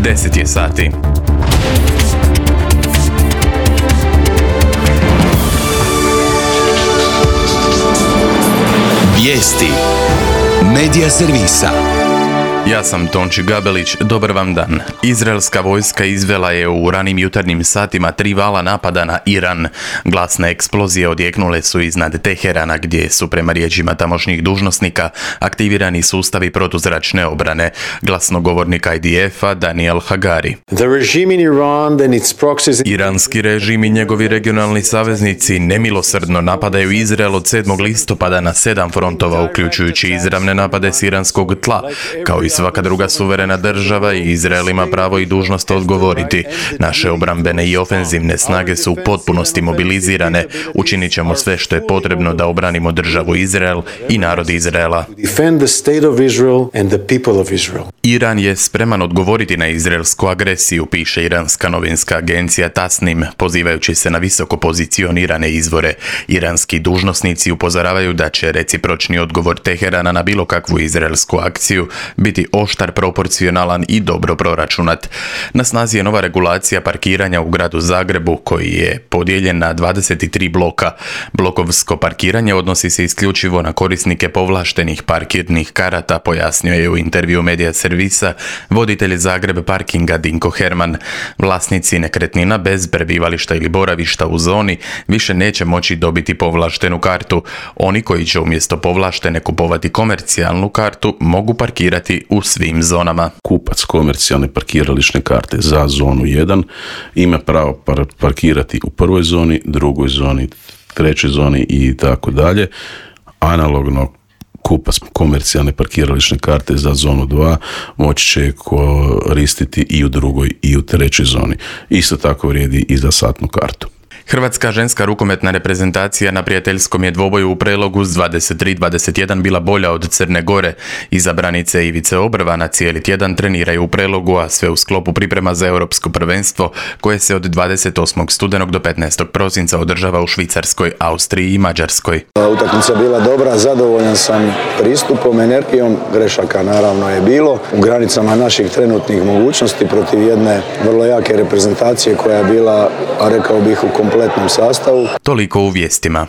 10 je sati. Vijesti Medija servisa. Ja sam Tonči Gabelić, dobar vam dan. Izraelska vojska izvela je u ranim jutarnjim satima 3 vala napada na Iran. Glasne eksplozije odjeknule su iznad Teherana, gdje su prema riječima tamošnjih dužnosnika aktivirani sustavi protuzračne obrane. Glasnogovornik IDF-a Daniel Hagari. Iranski režim i njegovi regionalni saveznici nemilosrdno napadaju Izrael od 7. listopada na 7 frontova, uključujući izravne napade s iranskog tla, kao i svaka druga suverena država, i Izrael ima pravo i dužnost odgovoriti. Naše obrambene i ofenzivne snage su u potpunosti mobilizirane. Učinit ćemo sve što je potrebno da obranimo državu Izrael i narod Izraela. Iran je spreman odgovoriti na izraelsku agresiju, piše iranska novinska agencija Tasnim, pozivajući se na visoko pozicionirane izvore. Iranski dužnosnici upozoravaju da će recipročni odgovor Teherana na bilo kakvu izraelsku akciju biti oštar, proporcionalan i dobro proračunat. Na snazi je nova regulacija parkiranja u gradu Zagrebu, koji je podijeljen na 23 bloka. Blokovsko parkiranje odnosi se isključivo na korisnike povlaštenih parkirnih karata, pojasnio je u intervju Medija servisa voditelj Zagreb parkinga Dinko Herman. Vlasnici nekretnina bez prebivališta ili boravišta u zoni više neće moći dobiti povlaštenu kartu. Oni koji će umjesto povlaštene kupovati komercijalnu kartu mogu parkirati u svim zonama. Kupac komercijalne parkirališne karte za zonu 1 ima pravo parkirati u prvoj zoni, drugoj zoni, trećoj zoni i tako dalje. Analogno, kupac komercijalne parkirališne karte za zonu 2 moći će koristiti i u drugoj i u trećoj zoni. Isto tako vrijedi i za satnu kartu. Hrvatska ženska rukometna reprezentacija na prijateljskom je dvoboju u Prelogu s 23-21 bila bolja od Crne Gore. Izabranice Ivice Obrvana cijeli tjedan treniraju u Prelogu, a sve u sklopu priprema za europsko prvenstvo koje se od 28. studenog do 15. prosinca održava u Švicarskoj, Austriji i Mađarskoj. Utakmica bila dobra, zadovoljan sam pristupom, energijom, grešaka naravno je bilo. U granicama naših trenutnih mogućnosti protiv jedne vrlo jake reprezentacije koja je bila, a rekao bih, u kompletnom sastavu. Toliko u vijestima.